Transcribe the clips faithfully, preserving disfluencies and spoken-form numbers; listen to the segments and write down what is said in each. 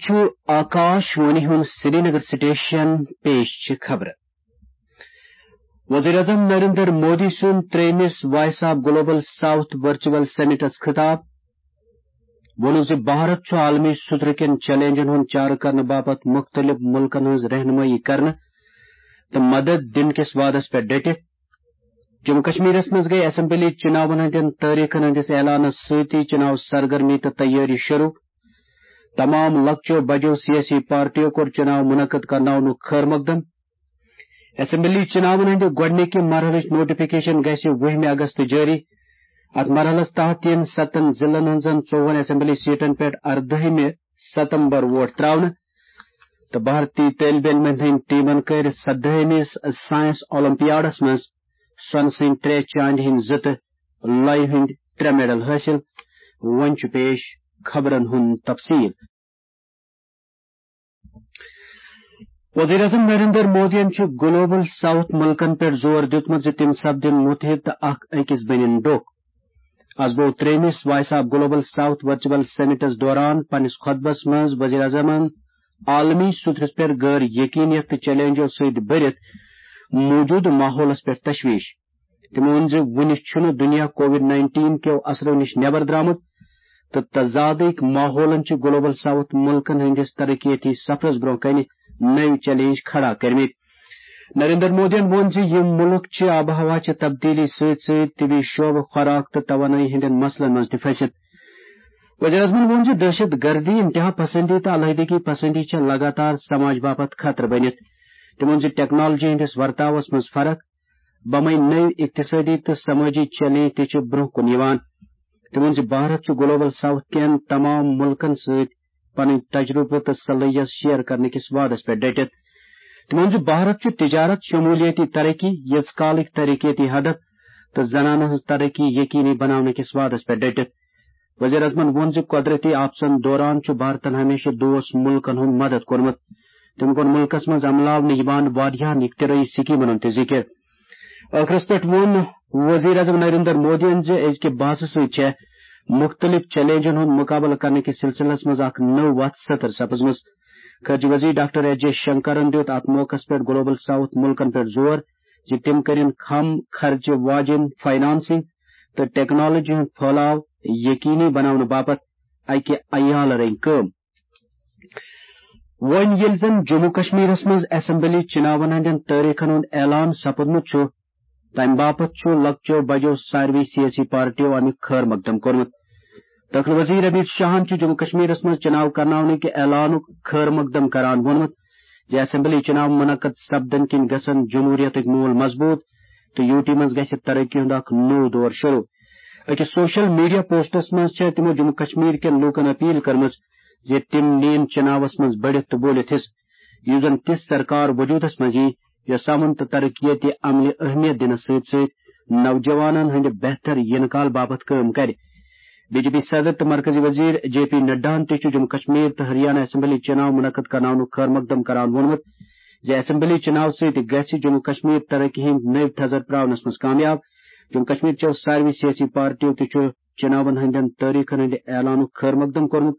چھُ آکاش وانی ہُنٛد سرینگر سٹیشن۔ پیش چھِ خبرٕ۔ وزیر اعظم نریندر مودی سُنٛد ترٛیٚیمِس وائس of global south virtual summits خطاب۔ ووٚنُن زِ بھارت چھُ عالمی سطرٕ کٮ۪ن چیلنجن ہُنٛد چارٕ کرنہٕ باپتھ مُختٔلِف مُلکن ہٕنٛز رہنمٲیی کرنہٕ تہٕ مدد دِنہٕ کِس وعدس پٮ۪ٹھ ڈٔٹِتھ۔ جموں کشمیرس منٛز گٔے اسمبلی چناون ہٕنٛدٮ۪ن تٲریخن ہٕنٛدِس اعلانس سۭتی چناو سرگرمی تہٕ تیٲری شروع۔ تمام لۄکچو بجو سیٲسی پارٹیو کوٚر چناو منعقد کرناونُک خٲر مقدم۔ اسمبلی چناون ہٕنٛدِ گۄڈٕنِکہِ مرحلٕچ نوٹیفکیشن گژھِ وُہمہِ اگست جٲری۔ اتھ مرحلس تحت یِن ستن ضلعن ہٕنٛزن ژوٚوُہن اسمبلی سیٹن پٮ۪ٹھ اردٲہمہِ ستمبر ووٹ تراونہٕ تہٕ بھارتی طٲلبہِ علمن ہٕنٛدۍ ٹیمن کٔرۍ سدٲہمِس سائنس اولمپیاڈس منٛز سۄنہٕ سٕنٛدۍ ترٛےٚ، چاندِ ہٕنٛدۍ زٕ تہٕ لۄیہِ ہٕنٛدۍ ترٛےٚ میڈل حٲصِل۔ وۄنۍ چھُ پیش خبرن ہُنٛد تفصیل۔ وزیر اعظم نریندر مودیَن چھُ گلوبل ساؤتھ مُلکن پٮ۪ٹھ زور دیُتمُت زِ تِم سپدن مُتحد تہٕ اکھ أکِس بٔنِن ڈوکھ۔ از گوٚو ترٛیٚیمِس وائس of global south virtual summits دوران پننِس خطبس منٛز وزیر اعظمن عالمی سطرس پٮ۪ٹھ غٲر یقینیت تہٕ چیلنجو سۭتۍ بٔرِتھ موجودٕ ماحولس پٮ۪ٹھ تشویش۔ تٔمۍ ووٚن زِ وُنہِ چھُنہٕ دُنیا کووڈ نائنٹین کیو اثرو نِش نٮ۪بر درٛامُت تہٕ تضادٕکۍ ماحولن چھِ گلوبل ساؤتھ مُلکن ہٕنٛدِس ترقیتی سفرس برٛونٛہہ کنہِ نٔوۍ چیلنج کھڑا کٔرمٕتۍ۔ نریندر مودیَن ووٚن زِ یِم مُلک چھِ آب و ہوا چہِ تبدیلی سۭتۍ سۭتۍ طبی شعبہٕ، خوراک تہٕ توانٲیی ہٕنٛدٮ۪ن مسلن منٛز تہِ پھٔسِتھ۔ وزیر اعظمن ووٚن زِ دہشت گردی، انتہا پسندی تہٕ علیحدگی پسندی چھےٚ لگاتار سماج باپتھ خطرٕ بٔنِتھ۔ تٔمۍ ووٚن زِ ٹیکنالوجی ہٕنٛدِس ورتاوس منٛز فرق، بمے نٔوۍ اقتصٲدی تہٕ سمٲجی چیلنج تہِ چھِ برٛونٛہہ کُن یِوان۔ تٔمۍ ووٚن زِ بھارت چھُ گلوبل ساؤتھ کٮ۪ن تمام مُلکن سۭتۍ پنٕنۍ تجربہٕ تہٕ صلٲحیت شیئر کرنہٕ کِس وعدس پٮ۪ٹھ ڈٔٹِتھ۔ تٔمۍ ووٚن زِ بھارت چھُ تجارت، شمولیتی ترقی، یٔژ کالٕکۍ ترقیتی ہدف تہٕ زنانن ہٕنٛز ترقی یقینی بناونہٕ کِس وعدس پٮ۪ٹھ ڈٔٹِتھ۔ وزیر اعظمن ووٚن زِ قدرتی آفژن دوران چھُ بھارتن ہمیشہٕ دوست مُلکن ہُنٛد مدد کوٚرمُت۔ تٔمۍ کوٚر مُلکس منٛز عملاونہٕ یِوان واریاہن اختراعی سکیمن ہُنٛد تہِ ذکر۔ ٲخرس پٮ۪ٹھ ووٚن وزیر اعظم نریندر مودیَن زِ أزکہِ بحثہٕ سۭتۍ چھےٚ مُختٔلِف چیلنجن ہُنٛد مُقابلہٕ کرنہٕ کِس سلسلس منٛز اکھ نٔو وتھ سطر سپٕزمٕژ۔ خارجہ وزیر ڈاکٹر ایس جے شنکرن دیُت اتھ موقعس پٮ۪ٹھ گلوبل ساؤتھ مُلکن پٮ۪ٹھ زور زِ تِم کٔرِن کم خرچہٕ واجٮ۪ن فنانسنگ تہٕ ٹیکنالوجی ہُنٛد پھٲلاو یقینی بناونہٕ باپتھ اکہِ عیالہٕ رٔنگۍ کٲم۔ وۄنۍ ییٚلہِ زن جموں کشمیرس منٛز اسمبلی چناون ہٕنٛدٮ۪ن تٲریخن ہُنٛد اعلان سپُدمُت چھُ، تَمہِ باپتھ چھُ لۄکچو بجو ساروٕے سیٲسی پارٹیو اَمیُک خٲر مقدم کوٚرمُت۔ دٲخلہٕ وزیر امیت شاہن چھُ جموں کشمیرس منٛز چناو کرناونٕکہِ اعلانُک خٲر مقدم کران ووٚنمُت زِ اسمبلی چناو منعقد سپدن کِنۍ گژھن جمہوریتٕکۍ موٗل مضبوٗط تہٕ یوٗ ٹی منٛز گژھِ ترقی ہُنٛد اکھ نوٚو دور شروع۔ أکِس سوشل میڈیا پوسٹس منٛز چھےٚ تِمو جموں کشمیر کٮ۪ن لوٗکن اپیل کٔرمٕژ زِ تِم نِیِن چناوس منٛز بٔڑِتھ تہٕ بوٗلِتھ حصہٕ، یُس زن تِژھ سرکار وجوٗدس منٛز یی یۄس امن تہٕ ترقیتی عملہِ اہمیت دِنس سۭتۍ سۭتۍ نوجوانن ہٕنٛدِ بہتر یِنہٕ کال باپتھ کٲم کرِ۔ بی جے پی صدر تہٕ مرکزی وزیر جے پی نڈاہن تہِ چھُ جموں کشمیر تہٕ ہریانہ اسمبلی چناو منعقد کرناونُک خٲر مقدم کران ووٚنمُت زِ اسمبلی چناو سۭتۍ گژھِ جموں کشمیر ترقی ہٕنٛدۍ نٔوۍ تھزر پراونس منٛز کامیاب۔ جموں کشمیر چٮ۪و ساروٕے سیٲسی پارٹیو تہِ چھُ چناون ہٕنٛدٮ۪ن تٲریخن ہٕنٛدِ اعلانُک خٲر مقدم کوٚرمُت۔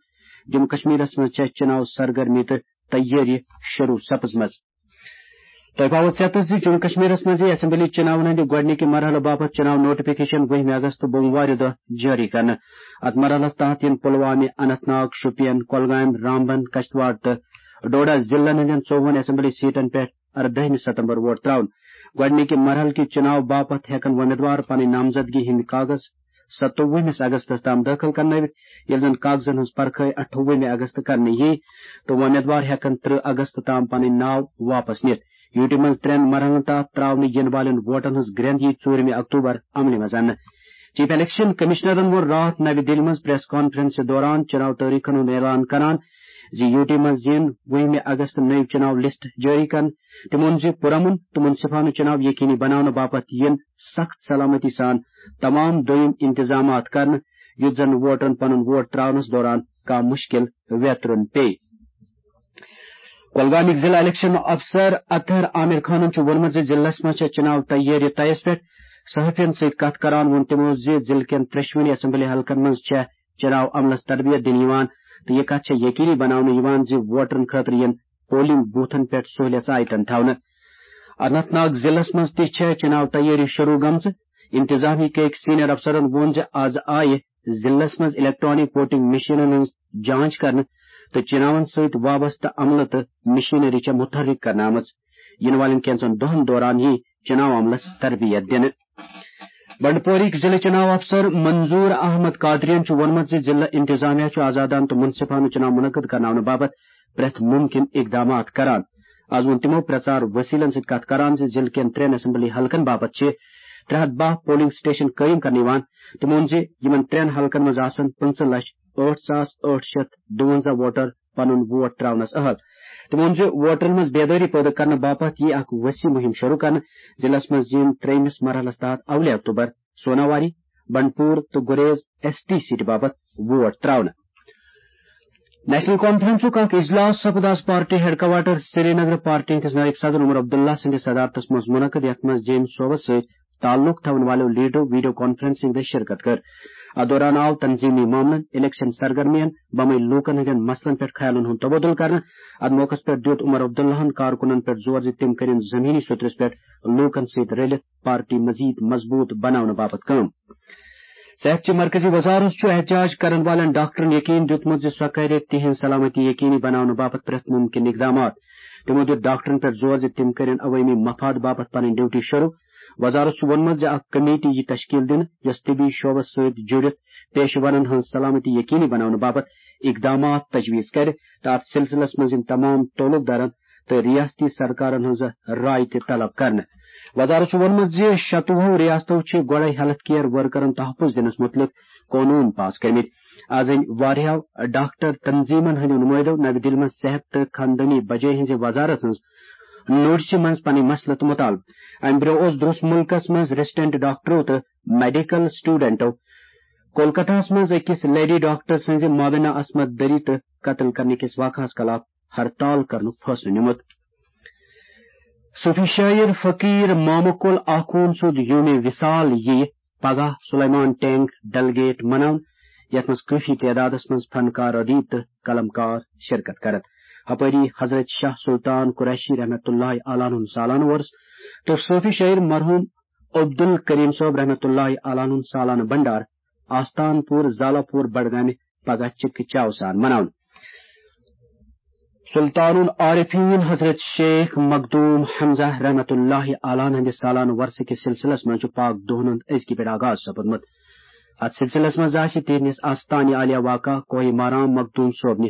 جموں کشمیرس منٛز چھےٚ چناو سرگرمی تہٕ تیٲری شروع سپٕزمٕژ۔ تۄہہِ پاوو ژیتس زِ جموں کشمیرس منٛز یِیہِ اسمبلی چناون ہٕنٛدِ گۄڈٕنِکہِ مرحلہٕ باپتھ چناو نوٹیفکیشن وُہمہِ اگست بوموارِ دۄہ جٲری کرنہٕ۔ اتھ مرحلس تحت یِن پلوامہ، اننت ناگ، شوپین، کۄلگامۍ، رامبن، کشتواڑ تہٕ ڈوڈہ ضلعن ہٕنٛدٮ۪ن ژوٚوُہن اسمبلی سیٹن پٮ۪ٹھ اردٲہمہِ ستمبر ووٹ تراونہٕ۔ گۄڈٕنِکہِ مرحلہٕ کہِ چناو باپتھ ہٮ۪کن وۄمیدوار پنٕنۍ نامزدگی ہٕنٛدۍ کاغذ ستووُہمِس اگستس تام دٲخل کرنٲوِتھ، ییٚلہِ زن کاغذن ہٕنٛز پرکھٲے اٹھووُہمہِ اگست کرنہٕ یِیہِ تہٕ وۄمیدوار ہٮ۪کن ترٕہ اگست تام پنٕنۍ ناو واپس نِتھ۔ یوٗ ٹی منٛز ترٛٮ۪ن مرحلن تحت ترٛاونہٕ یِنہٕ والٮ۪ن ووٹن ہٕنٛز گرٛٮ۪نٛد یِیہِ ژوٗرِمہِ اکتوبر عملہِ منٛز اننہٕ۔ چیف الیکشن کمشنرن ووٚن راتھ نوِ دِلہِ منٛز پریس کانفرنسہِ دوران چناو تٲریخن ہُنٛد اعلان کران زِ یوٗ ٹی منٛز یِن وُہمہِ اگست نٔوۍ چناو لسٹ جٲری کرنہٕ۔ تٔمۍ ووٚن زِ پُرامن تہٕ منصفانہٕ چناو یقینی بناونہٕ باپتھ یِن سخت سلامتی سان تمام دوٚیِم انتظامات کرنہٕ، یُتھ زن ووٹرن پنُن ووٹ ترٛاونس دوران کانٛہہ مُشکل ویترُن پیٚیہِ۔ کۄلگامٕکۍ ضلع الیکشن افسر اطہر عامر خانن چھُ ووٚنمُت زِ ضلعس منٛز چھےٚ چناو تیٲری طیس پٮ۪ٹھ۔ صحافین سۭتۍ کتھ کران ووٚن تِمو زِ ضلعہٕ کٮ۪ن ترٛٮ۪شوٕنی اسمبلی حلقن منٛز چھےٚ چناو عملس تربیت دِنہٕ یِوان۔ تہٕ یہِ کتھ چھےٚ یقینی بناونہٕ یِوان زِ ووٹرن خٲطرٕ یِن پولنگ بوتھن پٮ۪ٹھ سہولیژ آیتن تھاونہٕ۔ اننت ناگ ضلعس منٛز تہِ چھےٚ چُناو تیٲری شروع گٔمژٕ۔ انتظامیہ کہِ أکۍ سینئر افسرن ووٚن زِ از آیہِ ضلعس منٛز الیکٹرانک ووٹنگ مشینن ہٕنٛز جانچ کرنہٕ تہٕ چُناون سۭتۍ وابستہٕ عملہٕ تہٕ مشینری چھےٚ متحرک کرنہٕ آمٕژ۔ یِنہٕ والٮ۪ن کینٛژن دۄہن دوران یِیہِ چُناو عملس تربیت دِنہٕ۔ بنڈپوریٕکۍ ضلع چُناو افسر منظور احمد قادرین چھُ ووٚنمُت زِ ضلع انتظامیہ چھُ آزادانہٕ تہٕ منصفانہٕ چُناو منعقد کرناونہٕ باپتھ پرٛٮ۪تھ مُمکِن اقدامات کران۔ از ووٚن تِمو پرٛژار وسیلن سۭتۍ کتھ کران زِ ضلعہٕ کٮ۪ن ترٛٮ۪ن اسمبلی حلقن باپتھ چھِ ترٛےٚ ہتھ باہ پولنگ سٹیشن قٲیِم کرنہٕ یِوان۔ تِمو ووٚن زِ یِمن ترٛٮ۪ن حلقن منٛز آسن پٕنٛژٕہ لچھ ٲٹھ ساس ٲٹھ شیٚتھ دُوَنزاہ ووٹر پنُن ووٹ تراونس اہل۔ تِمو ووٚن زِ ووٹرن منٛز بیدٲری پٲدٕ کرنہٕ باپتھ یِیہِ اکھ وسیع مُہِم شروع کرنہٕ۔ ضلعس منٛز یِن ترٛیٚیمِس مرحلس تحت اولے اکتوبر سوناواری، بنڈپور تہٕ گریز ایس ٹی سیٹہِ باپتھ ووٹ تراونہٕ۔ نیشنل کانفرنسُک اکھ اجلاس سپُد از party headquarter Srinagar. Party ہٕنٛدِس نائب صدر عمر عبداللہ سٕنٛدِس صدارتس منٛز منعقد، یتھ منٛز جیمز صٲبس سۭتۍ تعلق تھاون والٮ۪و لیڈرو ویڈیو کانفرنسنگ دٔسۍ شرکت کٔر۔ اتھ دوران آو تنظیمی معاملن، الیکشن سرگرمین، بمے لوٗکن ہٕنٛدٮ۪ن مسلن پٮ۪ٹھ خیالن ہُنٛد تبادلہٕ کرنہٕ۔ اتھ موقعس پٮ۪ٹھ دِیُت عمر عبداللہن کارکُنن پٮ۪ٹھ زور زِ تِم کٔرِن زمینی سطرس پٮ۪ٹھ لوٗکن سۭتۍ رٔلِتھ پارٹی مزید مضبوط بناونہٕ باپتھ کٲم۔ صحت چہِ مرکزی وزارت چھُ احتجاج کرن والٮ۪ن ڈاکٹرن یقین دیُتمُت زِ سۄ کرِ تِہنٛز سلامتی یقینی بناونہٕ باپتھ پرٛٮ۪تھ مُمکِن اقدامات۔ تِمو دیُت ڈاکٹرن پٮ۪ٹھ زور زِ تِم کرن عوٲمی مفاد باپتھ پنٕنۍ ڈیوٹی شروع۔ وزارت چھُ ووٚنمُت زِ اکھ کمیٹی یی تشکیل دِنہٕ، یۄس طبی شعبس سۭتۍ جُڑِتھ پیشہٕ ورن ہٕنٛز سلامتی یقینی بناونہٕ باپتھ اقدامات تجویز کرِ تہٕ اتھ سلسلس منٛز یِن تمام تعلق دارن تہٕ ریاستی سرکارن ہٕنٛز راے تہِ طلب کرنہٕ۔ وزارت چھُ ووٚنمُت زِ شتوُہو ریاستو چھِ گۄڈے ہیلتھ کیئر ورکرن تحفظ دِنس مُتعلق قونوٗن پاس کٔرمٕتۍ۔ از أنۍ واریاہو ڈاکٹر تنظیمن ہٕنٛدیو نُمٲیدو نوِ دِلہِ منٛز صحت تہٕ خاندٲنی بجٲے ہٕنٛزِ وزارت ہٕنٛز نوٹسہِ منٛز پنٕنۍ مسلہٕ تہٕ مطالبہٕ۔ امہِ برٛونٛہہ اوس درٛوس مُلکس منٛز ریسیڈنٹ ڈاکٹرو تہٕ میڈیکل سٹوڈنٹو کولکتہس منٛز أکِس لیڈی ڈاکٹر سٕنٛزِ مابینا عصمت دری تہٕ قتل کرنہٕ کِس واقعس خلاف ہڑتال کرنُک فٲصلہٕ نیومُت۔ صوفی شٲعر فقیر مامہٕ کُل آخوٗن سُنٛد یومِ وصال یِیہِ پگاہ سلیمان ٹینگ ڈل گیٹ مناونہٕ، یتھ منٛز کٲفی تعدادس منٛز فنکار ادیب تہٕ قلمکار شرکت کرن۔ ہپٲری حضرت شاہ سلطان قریشی رحمت اللہ علیہ ہُنٛد سالانہٕ وۄرُس تہٕ صوفی شٲعر مرحوم عبدالکریم صٲب رحمت اللہ علیہ ہُنٛد سالانہٕ بنڈار آستان پور زالا پور بڈگامہِ پگاہ چکہ چاو سان مناونہٕ۔ سلطان العارفین حضرت شیخ مخدوم حمزہ رحمت اللہ علیہ ہٕنٛدِ سالانہٕ ورثہٕ کِس سلسلس منٛز چھُ پاک دۄہن ہُنٛد أزکہِ پٮ۪ٹھ آغاز سپدمُت۔ اتھ سلسلس منٛز آسہِ تِہنٛدِس آستانہِ عالیہ واقع کوہ مارام مخدوم صٲبنہِ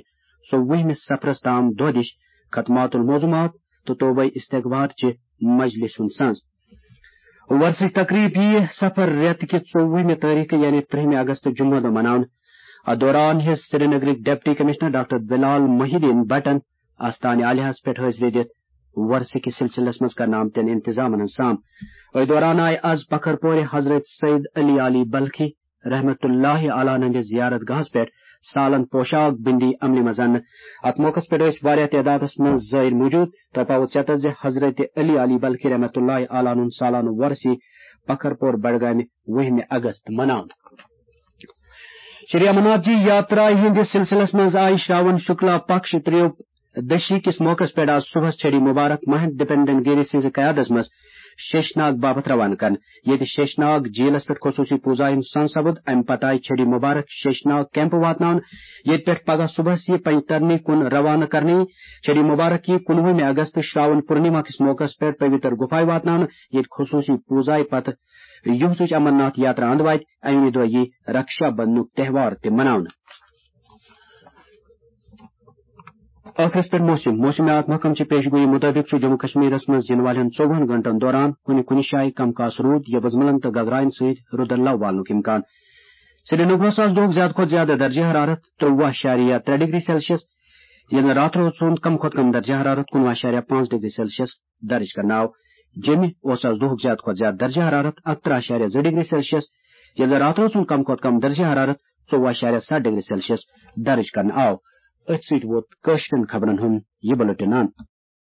ژوٚوُہمِس سفرس تام دۄہ دِش ختمات الموضوعات تہٕ توبہ استغفار چہِ مجلس ہُنٛد سنز۔ ورثٕچ تقریب ییہِ صفر رٮ۪تہٕ کہِ ژوٚوُہمہِ تٲریخہٕ یعنی ترٛہمہِ اگست جمعہ دۄہ مناونہٕ۔ اتھ دوران ہیٚژ سرینگرٕکۍ ڈپٹی کمشنر ڈاکٹر بلال محی الدین بٹن آستانہِ عالیہس پٮ۪ٹھ حٲضری دِتھ ورثہٕ کِس سلسلس منٛز کرنہٕ آمتٮ۪ن انتظامن ہٕنٛز سام۔ أتھۍ دوران آیہِ از پکھر پورِ حضرت سید علی علی بلخی رحمت اللہ علیہ ہٕنٛدِس زیارت گاہس پٮ۪ٹھ سالن پوشاک بندی عملہِ منٛز اننہٕ۔ اتھ موقعس پٮ۪ٹھ ٲسۍ واریاہ تعدادس منٛز زائر موجود۔ تۄہہِ پاوٕ ژیتس زِ حضرت علی علی بلخی رحمت اللہ علیہ ہُنٛد سالانہٕ ورثی پکھر پور بڈگامہِ وُہمہِ اگست مناونہٕ۔ شری امرناتھ جی یاترا ہٕنٛدِس سلسلس منٛز آیہِ شراون شکلا پکش تریو دشی کِس موقعس پٮ۪ٹھ آز صبحس چھڑی مبارک مہنت دپندن گیری سٕنٛزِ قیادس منٛز شیشناگ باپتھ روانہٕ کرنہٕ، ییٚتہِ شیشناگ جھیلس پٮ۪ٹھ خصوٗصی پوٗزا ہُنٛد سن سپُد۔ امہِ پتہٕ آیہِ چھڑی مبارک شیشناگ کیمپ واتناونہٕ، ییٚتہِ پٮ۪ٹھ پگاہ صبحس یہِ پنجترنی کُن روانہٕ کرنہٕ یِیہِ۔ چھڑی مبارک یِیہِ کُنوُہمہِ اگست شراون پورنیما کِس موقعس پٮ۪ٹھ پویتر گُفایہِ واتناونہٕ، ییٚتہِ خصوٗصی پوٗزایہِ پتہٕ یُہُس امرناتھ یاترا اند واتہِ۔ اَمی دۄہ یِیہِ رکشا بندھنُک تہوار تہِ مناونہٕ۔ ٲخرس پٮ۪ٹھ موسم۔ موسمیات محکمہٕ چہِ پیش گویی مُطٲبِق چھُ جموں کشمیرس منٛز یِنہٕ والٮ۪ن ژوٚوُہن گھنٹن دوران کُنہِ کُنہِ جایہِ کم کاس روٗد یا وُزملن تہٕ گگراین سۭتۍ رُدٕ لو والنُک امکان۔ سرینگرس آز دۄہُک زیادٕ کھۄتہٕ زیادٕ درجہ حرارت ترٛوواہ اعشاریہ ترٛےٚ ڈگری سیلسیس، ییٚلہِ راتھ روز سُنٛد کم کھۄتہٕ کم درجہ حرارت کُنوُہ اعشاریہ پانٛژھ ڈگری سیلسیس درج کرنہٕ آو۔ جیٚمہِ اوس آز دۄہُک زیادٕ کھۄتہٕ زیادٕ درجہ حرارت اکترٛہ اعشاریہ زٕ ڈگری سیلسیس، ییٚلہِ راتھ روز سُنٛد کم کھۄتہٕ کم درجہ حرارت ژوٚوُہ اعشاریہ ستھ ڈگری سیلسیس درج کرنہٕ آو۔ أتھۍ سۭتۍ ووت کٲشرٮ۪ن خبرن ہُنٛد یہِ بُلٹن اند۔